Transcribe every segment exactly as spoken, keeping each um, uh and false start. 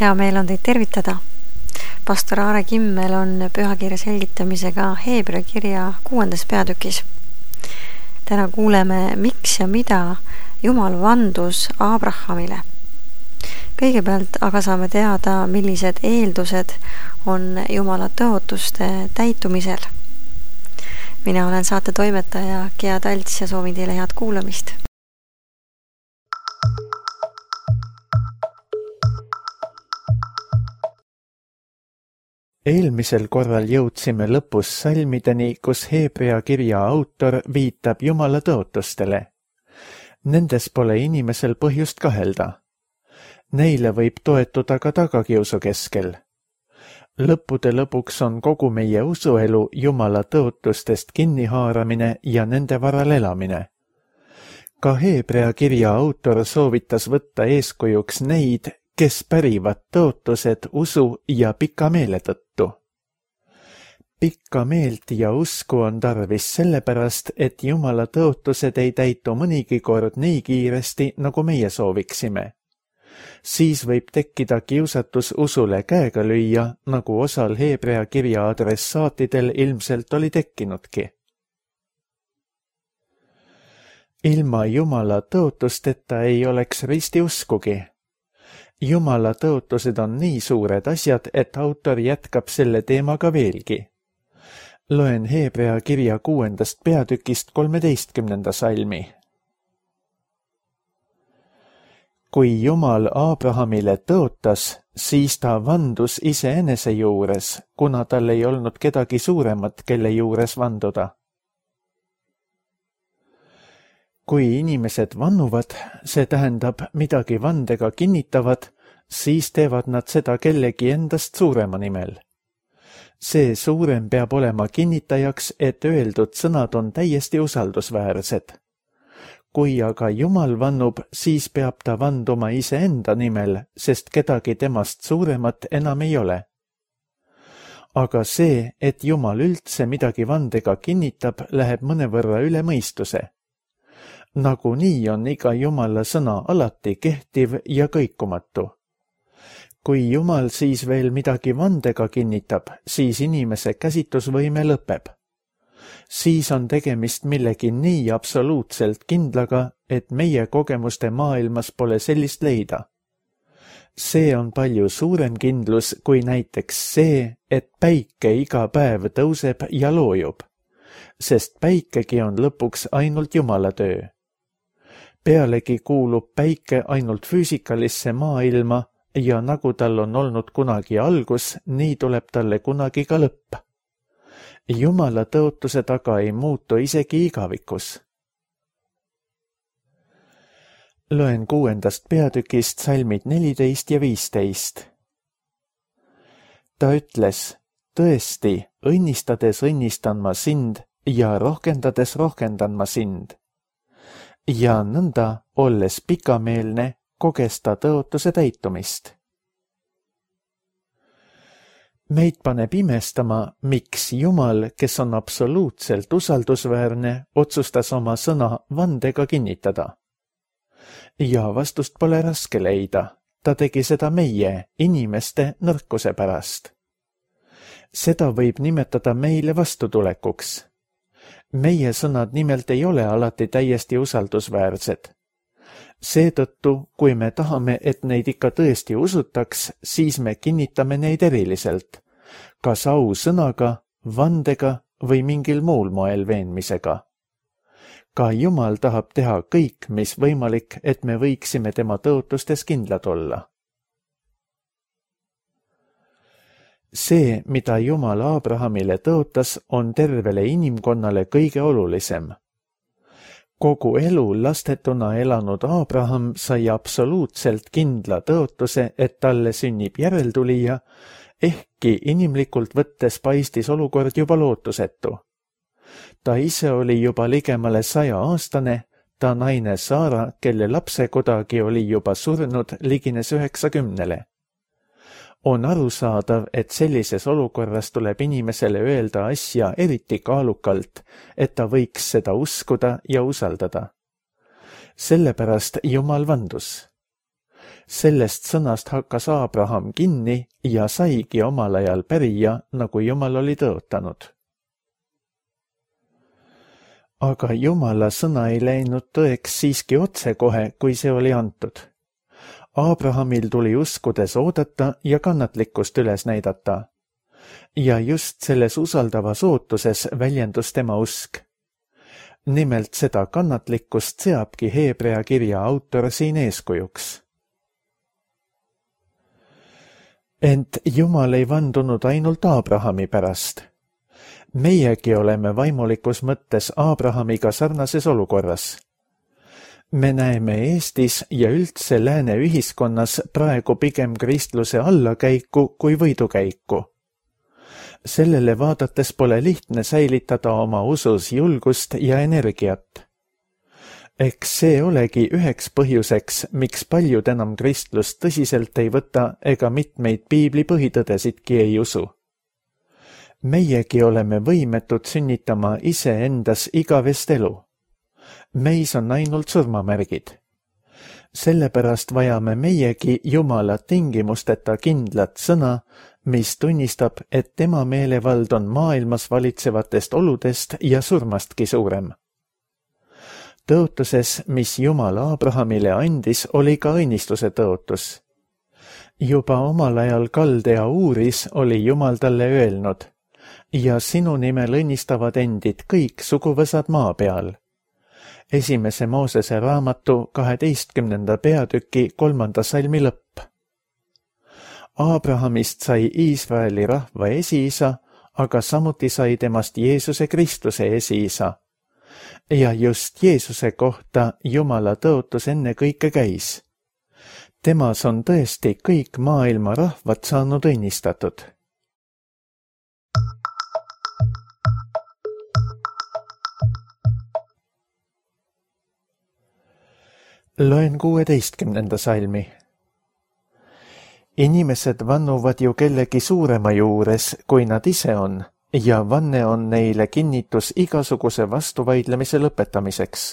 Hea meel on teid tervitada. Pastor Aare Kimmel on pühakirja selgitamisega Heebrea kirja kuuendas peatükis. Täna kuuleme, miks ja mida Jumal vandus Abrahamile. Kõigepealt aga saame teada, millised eeldused on Jumala tõotuste täitumisel. Mina olen saate toimetaja Gea Talts ja soovin teile head kuulamist. Eelmisel korral jõudsime lõpus salmideni, kus Heebrea kirja autor viitab Jumala tõotustele. Nendes pole inimesel põhjust kahelda. Neile võib toetuda ka tagakiusu keskel. Lõppude lõpuks on kogu meie usuelu Jumala tõotustest kinnihaaramine ja nende varal elamine. Ka Heebrea kirja autor soovitas võtta eeskujuks neid, kes pärivad tõotused usu ja pika meele tõttu. Pikka meelt ja usku on tarvis sellepärast, et Jumala tõotused ei täitu mõnigi kord nii kiiresti, nagu meie sooviksime. Siis võib tekkida kiusatus usule käega lüüa, nagu osal Heebrea kirja adressaatidel ilmselt oli tekkinudki. Ilma Jumala tõotusteta ei oleks ristiuskugi. Jumala tõotused on nii suured asjad, et autor jätkab selle teemaga veelgi. Loen Heebrea kirja kuuendast peatükist kolmeteistkümnenda salmi. Kui Jumal Abrahamile tõotas, siis ta vandus iseenese juures, kuna tal ei olnud kedagi suuremat, kelle juures vanduda. Kui inimesed vannuvad, see tähendab midagi vandega kinnitavad, siis teevad nad seda kellegi endast suurema nimel. See suurem peab olema kinnitajaks, et öeldud sõnad on täiesti usaldusväärsed. Kui aga Jumal vannub, siis peab ta vanduma iseenda nimel, sest kedagi temast suuremat enam ei ole. Aga see, et Jumal üldse midagi vandega kinnitab, läheb mõnevõrra üle mõistuse. Nagunii on iga Jumala sõna alati kehtiv ja kõikumatu. Kui Jumal siis veel midagi vandega kinnitab, siis inimese käsitusvõime lõpeb. Siis on tegemist millegi nii absoluutselt kindlaga, et meie kogemuste maailmas pole sellist leida. See on palju suurem kindlus kui näiteks see, et päike iga päev tõuseb ja loojub, sest päikegi on lõpuks ainult Jumala töö. Pealegi kuulub päike ainult füüsikalisse maailma ja nagu tal on olnud kunagi algus, nii tuleb talle kunagi ka lõpp. Jumala tõotuse taga ei muutu isegi igavikus. Loen kuuendast peatükist salmid neliteist ja viisteist. Ta ütles, tõesti, õnnistades õnnistan ma sind ja rohkendades rohkendan ma sind. Ja nõnda, olles pikameelne, koges ta tõotuse täitumist. Meid paneb imestama, miks Jumal, kes on absoluutselt usaldusväärne, otsustas oma sõna vandega kinnitada. Ja vastust pole raske leida. Ta tegi seda meie, inimeste nõrkuse pärast. Seda võib nimetada meile vastutulekuks. Meie sõnad nimelt ei ole alati täiesti usaldusväärsed. Seetõttu, kui me tahame, et neid ikka tõesti usutaks, siis me kinnitame neid eriliselt, kas ausõnaga, vandega või mingil muul moel veenmisega. Ka Jumal tahab teha kõik, mis võimalik, et me võiksime tema tõotustes kindlad olla. See, mida Jumal Abrahamile tõotas, on tervele inimkonnale kõige olulisem. Kogu elu lastetuna elanud Abraham sai absoluutselt kindla tõotuse, et talle sünnib järeltulija, ehkki inimlikult võttes paistis olukord juba lootusetu. Ta ise oli juba ligemale saja aastane, ta naine Saara, kelle lapse kodagi oli juba surnud, ligines üheksakümnele. On arusaadav, et sellises olukorras tuleb inimesele öelda asja eriti kaalukalt, et ta võiks seda uskuda ja usaldada. Sellepärast Jumal vandus. Sellest sõnast hakkas Abraham kinni ja saigi omal ajal pärija, nagu Jumal oli tõotanud. Aga Jumala sõna ei läinud tõeks siiski otsekohe, kui see oli antud. Abrahamil tuli uskudes oodata ja kannatlikkust üles näidata. Ja just selles usaldavas ootuses väljendus tema usk. Nimelt seda kannatlikkust seabki Heebrea kirja autor siin eeskujuks. Ent Jumal ei vandunud ainult Abrahami pärast. Meiegi oleme vaimulikus mõttes Abrahamiga sarnases olukorras. Me näeme Eestis ja üldse lääne ühiskonnas praegu pigem kristluse allakäiku kui võidukäiku. Sellele vaadates pole lihtne säilitada oma usus julgust ja energiat. Eks see olegi üheks põhjuseks, miks paljud enam kristlust tõsiselt ei võta ega mitmeid piibli põhitõdesidki ei usu. Meiegi oleme võimetud sünnitama iseendas igavest elu. Meis on ainult surmamärgid. Sellepärast vajame meiegi Jumala tingimusteta kindlat sõna, mis tunnistab, et tema meelevald on maailmas valitsevatest oludest ja surmastki suurem. Tõotuses, mis Jumal Abrahamile andis, oli ka õnnistuse tõotus. Juba omal ajal Kaldea Uuris oli Jumal talle öelnud, ja sinu nimel õnnistavad endid kõik suguvõsad maa peal. Esimese Moosese raamatu kaheteistkümnenda peatüki kolmanda salmi lõpp. Abrahamist sai Iisraeli rahva esiisa, aga samuti sai temast Jeesuse Kristuse esiisa. Ja just Jeesuse kohta Jumala tõotus enne kõike käis. Temas on tõesti kõik maailma rahvad saanud õnnistatud. Loen kuueteistkümnenda salmi. Inimesed vannuvad ju kellegi suurema juures, kui nad ise on, ja vanne on neile kinnitus igasuguse vastuvaidlemise lõpetamiseks.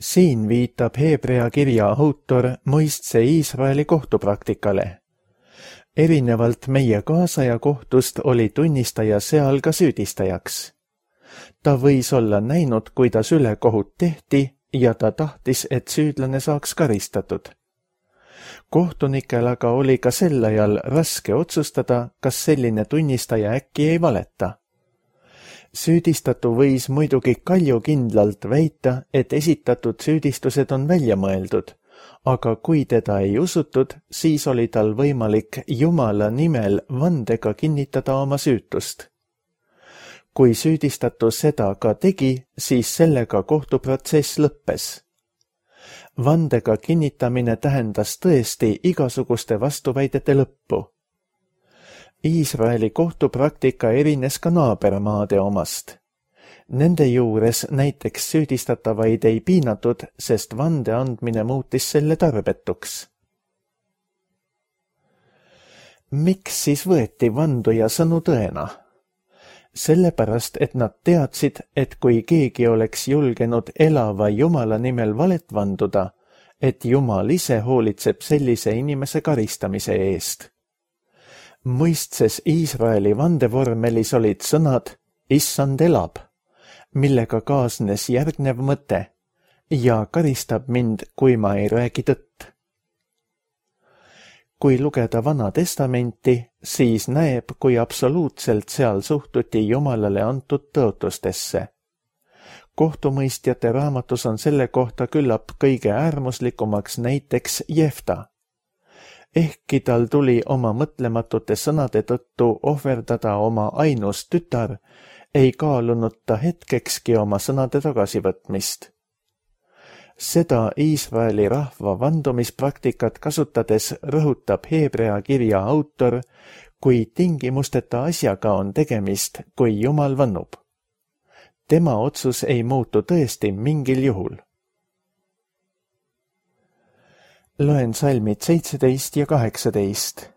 Siin viitab Heebrea kirja autor mõistse Iisraeli kohtupraktikale. Erinevalt meie kaasaja kohtust oli tunnistaja seal ka süüdistajaks. Ta võis olla näinud, kuidas ülekohut tehti ja ta tahtis, et süüdlane saaks karistatud. Kohtunikel aga oli ka sel ajal raske otsustada, kas selline tunnistaja äkki ei valeta. Süüdistatu võis muidugi kaljukindlalt väita, et esitatud süüdistused on välja mõeldud, aga kui teda ei usutud, siis oli tal võimalik Jumala nimel vandega kinnitada oma süütust. Kui süüdistatu seda ka tegi, siis sellega kohtuprotsess lõppes. Vandega kinnitamine tähendas tõesti igasuguste vastuväidete lõppu. Iisraeli kohtupraktika erines ka naabermaade omast. Nende juures näiteks süüdistatavaid ei piinatud, sest vande andmine muutis selle tarbetuks. Miks siis võeti vanduja sõnu tõena? Sellepärast, et nad teadsid, et kui keegi oleks julgenud elava Jumala nimel valet vanduda, et Jumal ise hoolitseb sellise inimese karistamise eest. Mõistses Iisraeli vandevormelis olid sõnad Issand elab, millega kaasnes järgnev mõte ja karistab mind, kui ma ei räägi tõtt. Kui lugeda Vana Testamenti, siis näeb, kui absoluutselt seal suhtuti Jumalale antud tõotustesse. Kohtumõistjate raamatus on selle kohta küllap kõige äärmuslikumaks näiteks Jefta. Ehkki tal tuli oma mõtlematute sõnade tõttu ohverdada oma ainus tütar, ei kaalunud ta hetkekski oma sõnade tagasivõtmist. Seda Iisraeli rahva vandumispraktikat kasutades rõhutab Heebrea kirja autor, kui tingimusteta asjaga on tegemist, kui Jumal vannub. Tema otsus ei muutu tõesti mingil juhul. Loen salmid seitseteist ja kaheksateist.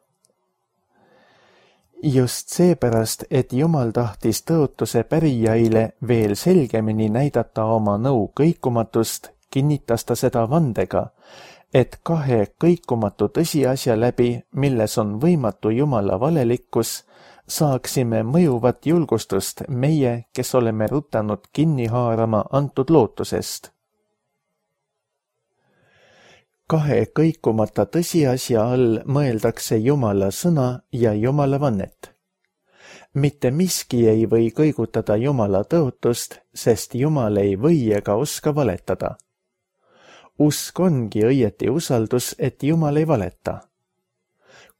Just seepärast, et Jumal tahtis tõotuse pärijaile veel selgemini näidata oma nõu kõikumatust, kinnitas ta seda vandega, et kahe kõikumatu tõsiasja läbi, milles on võimatu Jumala valelikkus, saaksime mõjuvat julgustust meie, kes oleme rutanud kinni haarama antud lootusest. Kahe kõikumata tõsiasja all mõeldakse Jumala sõna ja Jumala vannet. Mitte miski ei või kõigutada Jumala tõotust, sest Jumal ei või ega oska valetada. Usk ongi õieti usaldus, et Jumal ei valeta.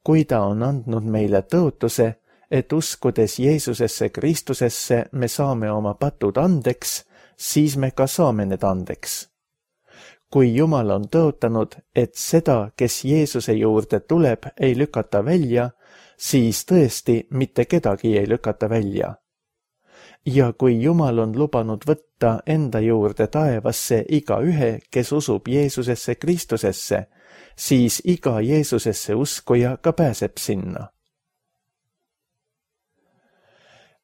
Kui ta on andnud meile tõotuse, et uskudes Jeesusesse Kristusesse me saame oma patud andeks, siis me ka saame need andeks. Kui Jumal on tõotanud, et seda, kes Jeesuse juurde tuleb, ei lükata välja, siis tõesti mitte kedagi ei lükata välja. Ja kui Jumal on lubanud võtta enda juurde taevasse iga ühe, kes usub Jeesusesse Kristusesse, siis iga Jeesusesse uskuja ka pääseb sinna.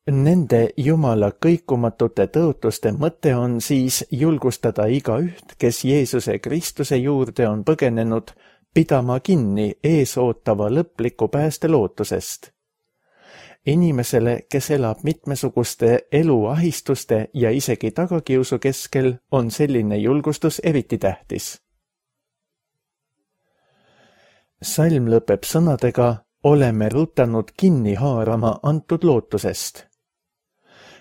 Nende Jumala kõikumatute tõotuste mõte on siis julgustada iga üht, kes Jeesuse Kristuse juurde on põgenenud, pidama kinni ees ootava lõpliku pääste lootusest. Inimesele, kes elab mitmesuguste eluahistuste ja isegi tagakiusu keskel, on selline julgustus eriti tähtis. Salm lõpeb sõnadega, oleme rutanud kinni haarama antud lootusest.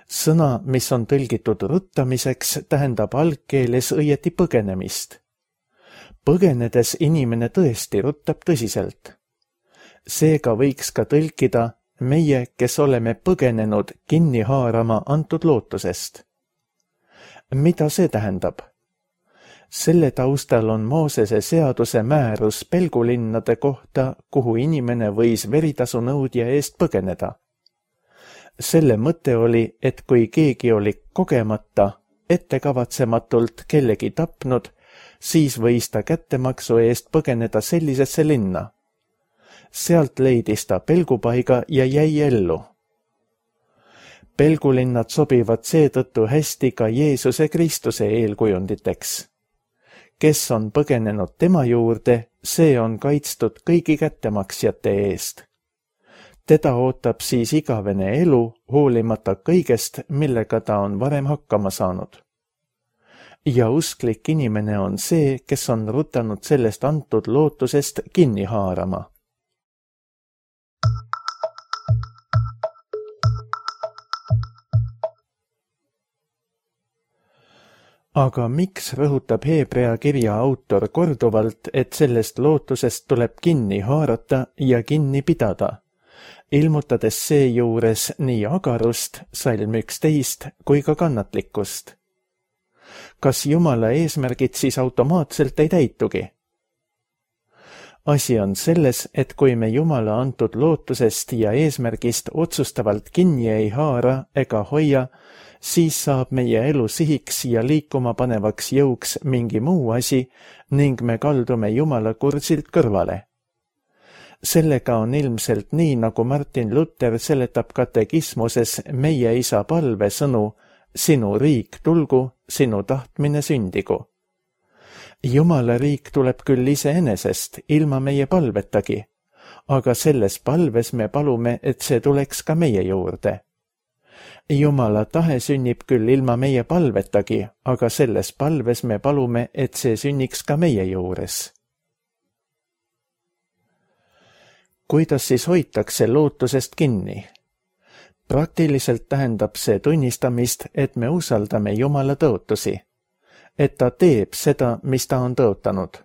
Sõna, mis on tõlgitud ruttamiseks, tähendab algkeeles õieti põgenemist. Põgenedes inimene tõesti ruttab tõsiselt. Seega võiks ka tõlkida meie, kes oleme põgenenud kinni haarama antud lootusest. Mida see tähendab? Selle taustal on Moosese seaduse määrus pelgulinnade kohta, kuhu inimene võis veritasu nõudja eest põgeneda. Selle mõte oli, et kui keegi oli kogemata, ettekavatsematult kellegi tapnud, siis võis ta kättemaksu eest põgeneda sellisesse linna. Sealt leidis ta pelgupaiga ja jäi ellu. Pelgulinnad sobivad seetõttu hästi ka Jeesuse Kristuse eelkujunditeks. Kes on põgenenud tema juurde, see on kaitstud kõigi kättemaksjate eest. Teda ootab siis igavene elu, hoolimata kõigest, millega ta on varem hakkama saanud. Ja usklik inimene on see, kes on rutanud sellest antud lootusest kinni haarama. Aga miks rõhutab Heebrea kirja autor korduvalt, et sellest lootusest tuleb kinni haarata ja kinni pidada, ilmutades seejuures nii agarust, salm üksteist, kui ka kannatlikkust? Kas Jumala eesmärgid siis automaatselt ei täitugi? Asi on selles, et kui me Jumala antud lootusest ja eesmärgist otsustavalt kinni ei haara ega hoia, siis saab meie elu sihiks ja liikuma panevaks jõuks mingi muu asi ning me kaldume Jumala kursilt kõrvale. Sellega on ilmselt nii, nagu Martin Luther seletab katekismuses meie isa palve sõnu, sinu riik tulgu, sinu tahtmine sündigu. Jumala riik tuleb küll iseenesest, ilma meie palvetagi, aga selles palves me palume, et see tuleks ka meie juurde. Jumala tahe sünnib küll ilma meie palvetagi, aga selles palves me palume, et see sünniks ka meie juures. Kuidas siis hoitakse lootusest kinni? Praktiliselt tähendab see tunnistamist, et me usaldame Jumala tõotusi, et ta teeb seda, mis ta on tõotanud.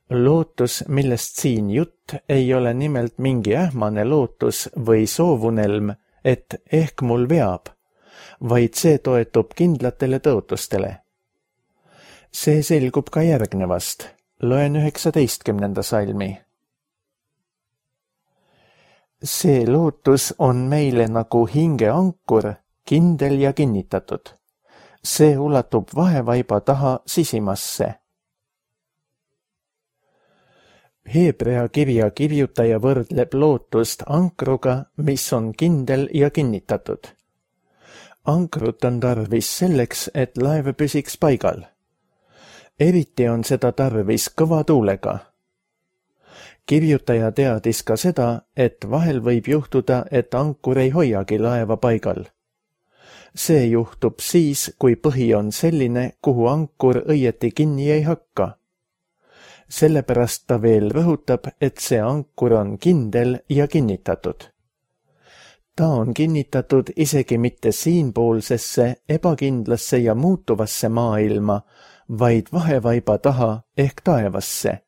Lootus, millest siin jutt, ei ole nimelt mingi ähmane lootus või soovunelm, et ehk mul veab, vaid see toetub kindlatele tõotustele. See selgub ka järgnevast. Loen üheksateistkümnenda salmi. See lootus on meile nagu hingeankur, kindel ja kinnitatud. See ulatub vahevaiba taha sisimasse. Heebrea kirja kirjutaja võrdleb lootust ankruga, mis on kindel ja kinnitatud. Ankrut on tarvis selleks, et laev püsiks paigal. eriti on seda tarvis kõva tuulega. Kirjutaja teadis ka seda, et vahel võib juhtuda, et ankur ei hoiagi laeva paigal. See juhtub siis, kui põhi on selline, kuhu ankur õieti kinni ei hakka. Sellepärast ta veel rõhutab, et see ankur on kindel ja kinnitatud. Ta on kinnitatud isegi mitte siinpoolsesse, ebakindlasse ja muutuvasse maailma, vaid vahevaiba taha ehk taevasse,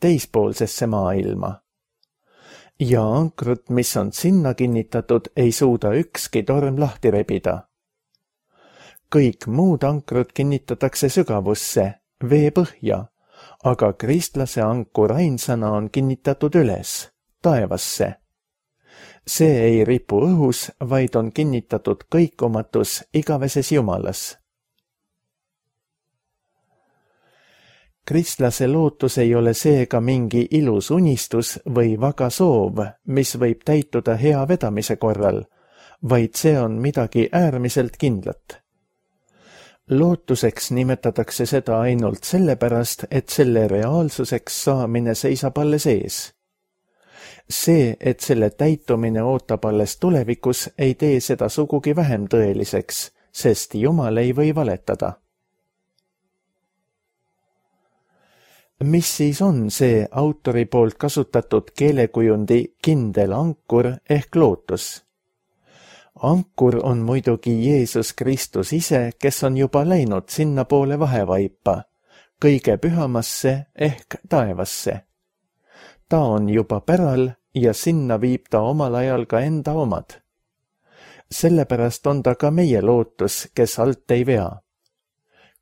teispoolsesse maailma. Ja ankrut, mis on sinna kinnitatud, ei suuda ükski torm lahti rebida. Kõik muud ankrut kinnitatakse sügavusse, vee põhja, aga kristlase ankur ainsana on kinnitatud üles, taevasse. See ei ripu õhus, vaid on kinnitatud kõikumatus igaveses Jumalas. Kristlase lootus ei ole seega mingi ilus unistus või vaga soov, mis võib täituda hea vedamise korral, vaid see on midagi äärmiselt kindlat. Lootuseks nimetatakse seda ainult sellepärast, et selle reaalsuseks saamine seisab alles ees. See, et selle täitumine ootab alles tulevikus, ei tee seda sugugi vähem tõeliseks, sest Jumal ei või valetada. Mis siis on see autori poolt kasutatud keelekujundi kindel ankur ehk lootus? Ankur on muidugi Jeesus Kristus ise, kes on juba läinud sinna poole vahevaipa, kõige pühamasse ehk taevasse. Ta on juba päral ja sinna viib ta omal ajal ka enda omad. Sellepärast on ta ka meie lootus, kes alt ei vea.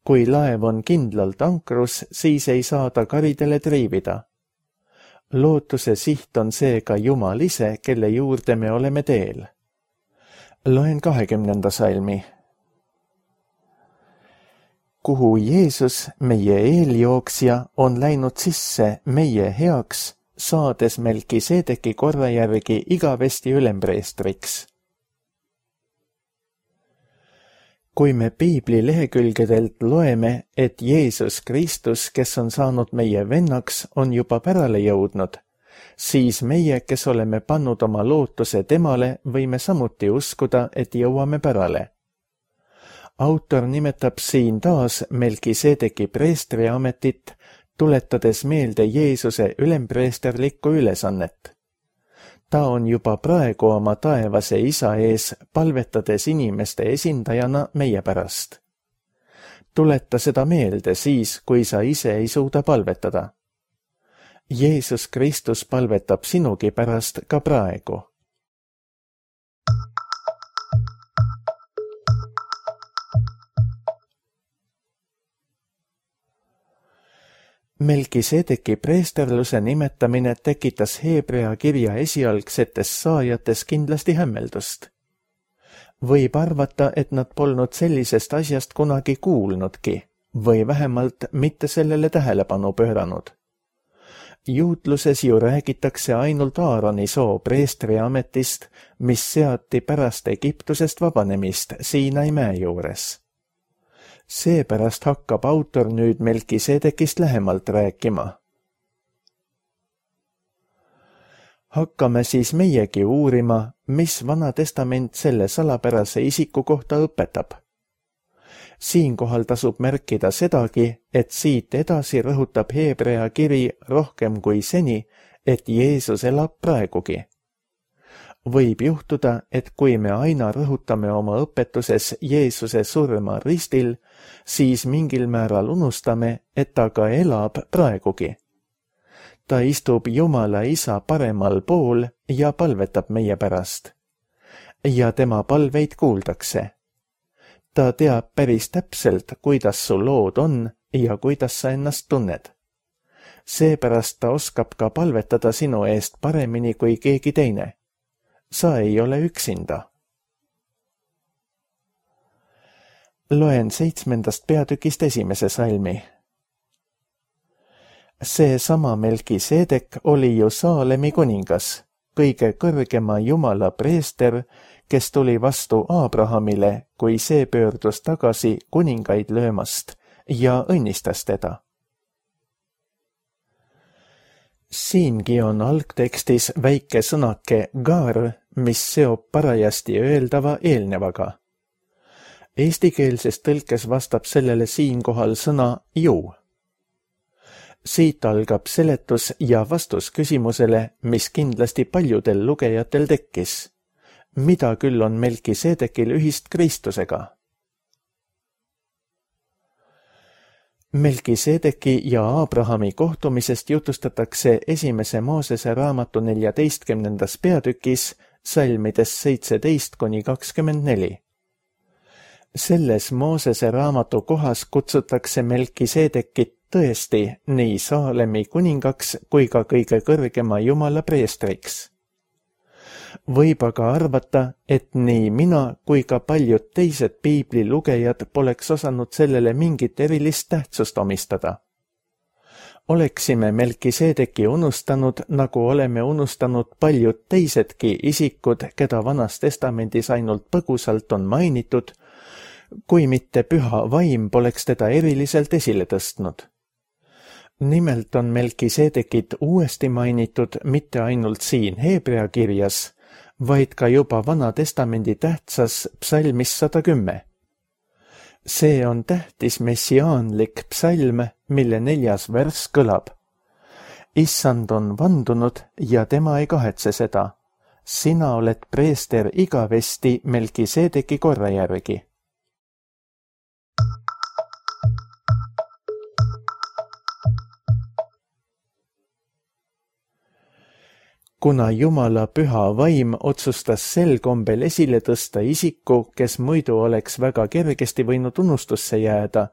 Kui laev on kindlalt ankrus, siis ei saa ta karidele triivida. Lootuse siht on seega Jumal ise, kelle juurde me oleme teel. Loen kahekümnenda salmi. Kuhu Jeesus, meie eeljooksja, on läinud sisse meie heaks, saades Melkisedeki korra järgi igavesti ülempreestriks. Kui me piibli lehekülgedelt loeme, et Jeesus Kristus, kes on saanud meie vennaks, on juba pärale jõudnud, siis meie, kes oleme pannud oma lootuse temale, võime samuti uskuda, et jõuame pärale. Autor nimetab siin taas Melkisedeki preestriametit, tuletades meelde Jeesuse ülempreesterlikku ülesannet. Ta on juba praegu oma taevase isa ees, palvetades inimeste esindajana meie pärast. Tuleta seda meelde siis, kui sa ise ei suuda palvetada. Jeesus Kristus palvetab sinugi pärast ka praegu. Melkisedeki preesterluse nimetamine tekitas Heebrea kirja esialgsetes saajates kindlasti hämmeldust. Võib arvata, et nad polnud sellisest asjast kunagi kuulnudki või vähemalt mitte sellele tähelepanu pööranud. Juutluses ju räägitakse ainult Aaroni soo preestriametist, mis seati pärast Egiptusest vabanemist Siinai mäe juures. Seepärast hakkab autor nüüd Melkisedekist lähemalt rääkima. Hakkame siis meiegi uurima, mis Vana Testament selle salapärase isiku kohta õpetab. Siinkohal tasub märkida sedagi, et siit edasi rõhutab Heebrea kiri rohkem kui seni, et Jeesus elab praegugi. Võib juhtuda, et kui me aina rõhutame oma õpetuses Jeesuse surma ristil, siis mingil määral unustame, et ta ka elab praegugi. Ta istub Jumala isa paremal pool ja palvetab meie pärast. Ja tema palveid kuuldakse. Ta teab päris täpselt, kuidas su lood on ja kuidas sa ennast tunned. Seepärast ta oskab ka palvetada sinu eest paremini kui keegi teine. Sa ei ole üksinda. Loen seitsmendast peatükist esimese salmi. See sama Melkisedek oli ju Saalemi kuningas, kõige kõrgema Jumala preester, kes tuli vastu Abrahamile, kui see pöördus tagasi kuningaid löömast ja õnnistas teda. Siingi on algtekstis väike sõnake gar, mis seob parajasti öeldava eelnevaga. Eestikeelses tõlkes vastab sellele siinkohal sõna ju. Siit algab seletus ja vastus küsimusele, mis kindlasti paljudel lugejatel tekkis. Mida küll on Melkiseedekil ühist Kristusega? Melkiseedeki ja Aabrahami kohtumisest jutustatakse esimese Moosese raamatu neljateistkümnendas peatükis salmides seitseteist kuni kakskümmend neli. Selles Moosese raamatu kohas kutsutakse Melkiseedekit tõesti nii Saalemi kuningaks kui ka kõige kõrgema Jumala preestriks. Võib aga arvata, et nii mina kui ka paljud teised piibli lugejad poleks osanud sellele mingit erilist tähtsust omistada. Oleksime Melkiseedeki unustanud, nagu oleme unustanud paljud teisedki isikud, keda Vanas Testamendis ainult põgusalt on mainitud, kui mitte püha vaim poleks teda eriliselt esile tõstnud. Nimelt on Melkiseedekit uuesti mainitud mitte ainult siin Heebrea kirjas, vaid ka juba Vana Testamendi tähtsas psalmis sada kümme. See on tähtis messiaanlik psalm, mille neljas värss kõlab. Issand on vandunud ja tema ei kahetse seda. Sina oled preester igavesti Melkiseedeki korra järgi. Kuna Jumala püha vaim otsustas sel kombel esile tõsta isiku, kes muidu oleks väga kergesti võinud unustusse jääda,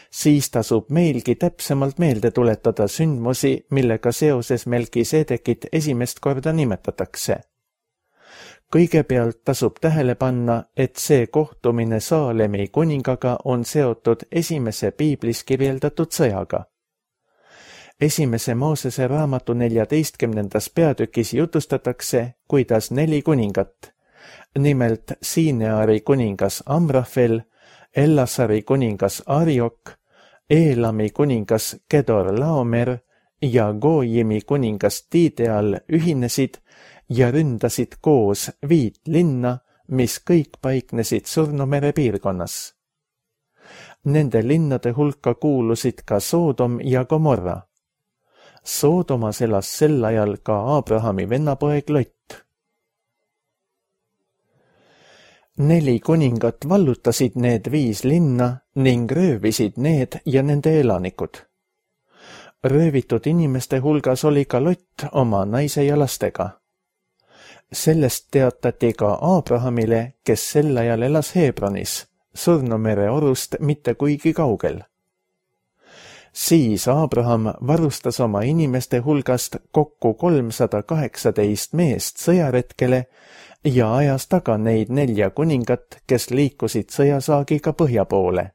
siis tasub meilgi täpsemalt meelde tuletada sündmusi, millega seoses Melkiseedekit esimest korda nimetatakse. Kõigepealt tasub tähele panna, et see kohtumine Saalemi kuningaga on seotud esimese piiblis kirjeldatud sõjaga. Esimese Moosese raamatu neljateistkümnendas peatükis jutustatakse, kuidas neli kuningat, nimelt Siineari kuningas Amrafel, Ellasari kuningas Ariok, Eelami kuningas Kedor Laomer ja Goojimi kuningas Tideal ühinesid ja ründasid koos viit linna, mis kõik paiknesid Surnumere piirkonnas. Nende linnade hulka kuulusid ka Soodom ja Gomorra. Soodomas elas sel ajal ka Aabrahami vennapoeg Lott. Neli kuningat vallutasid need viis linna ning röövisid need ja nende elanikud. Röövitud inimeste hulgas oli ka Lott oma naise ja lastega. Sellest teatati ka Aabrahamile, kes sel ajal elas Hebronis, Surnumere orust mitte kuigi kaugel. Siis Aabraham varustas oma inimeste hulgast kokku kolmsada kaheksateist meest sõjaretkele ja ajas taga neid nelja kuningat, kes liikusid sõjasaagiga põhja poole.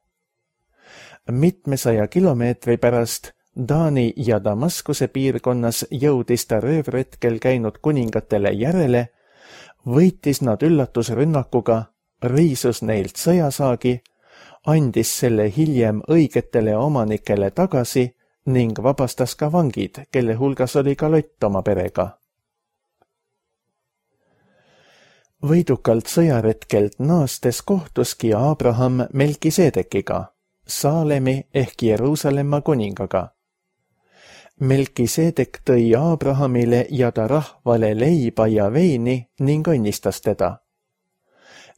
Mitmesaja kilomeetri pärast Taani ja Damaskuse piirkonnas jõudis ta röövretkel käinud kuningatele järele, võitis nad üllatusrünnakuga, riisus neilt sõjasaagi, andis selle hiljem õigetele omanikele tagasi ning vabastas ka vangid, kelle hulgas oli ka Lott oma perega. Võidukalt sõjaretkelt naastes kohtuski Aabraham Melkiseedekiga, Saalemi ehk Jeruusalemma kuningaga. Melkiseedek tõi Aabrahamile ja ta rahvale leiba ja veini ning õnnistas teda.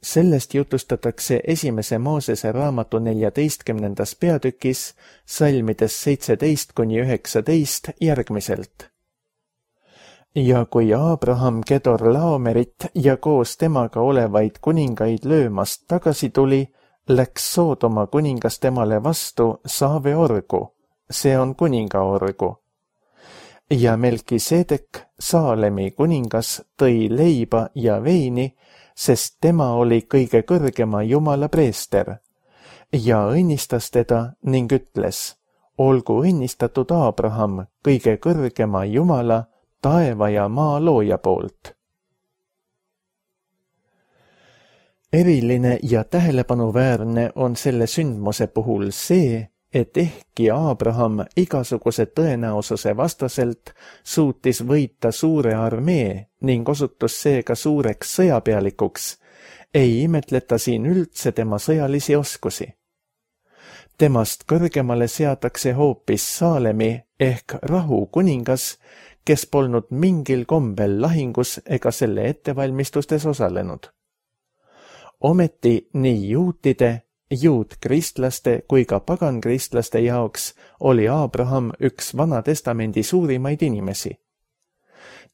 Sellest jutustatakse esimese Moosese raamatu neljateistkümnendas peatükis salmides seitseteist kuni üheksateist järgmiselt. Ja kui Aabraham Kedor Laomerit ja koos temaga olevaid kuningaid löömast tagasi tuli, läks Soodoma kuningas temale vastu Saave orgu, see on kuninga orgu. Ja Melkiseedek, Saalemi kuningas, tõi leiba ja veini, sest tema oli kõige kõrgema Jumala preester, ja õnnistas teda ning ütles, olgu õnnistatud Aabraham kõige kõrgema Jumala, taeva ja maa looja poolt. Eriline ja tähelepanuväärne on selle sündmuse puhul see, et ehkki Abraham igasuguse tõenäosuse vastaselt suutis võita suure armee ning osutus seega suureks sõjapealikuks, ei imetleta siin üldse tema sõjalisi oskusi. Temast kõrgemale seatakse hoopis Saalemi ehk rahu kuningas, kes polnud mingil kombel lahingus ega selle ettevalmistustes osalenud. Ometi nii juutide, juutkristlaste kui ka pagankristlaste jaoks oli Abraham üks Vanatestamendi suurimaid inimesi.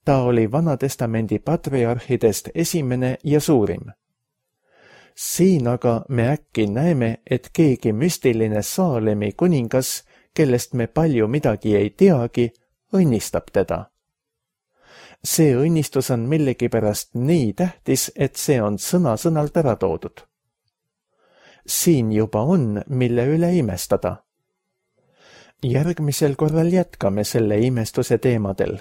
Ta oli Vanatestamendi patriarhidest esimene ja suurim. Siin aga me äkki näeme, et keegi müstiline Saalemi kuningas, kellest me palju midagi ei teagi, õnnistab teda. See õnnistus on millegipärast nii tähtis, et see on sõna-sõnalt ära toodud. Siin juba on, mille üle imestada. Järgmisel korral jätkame selle imestuse teemadel.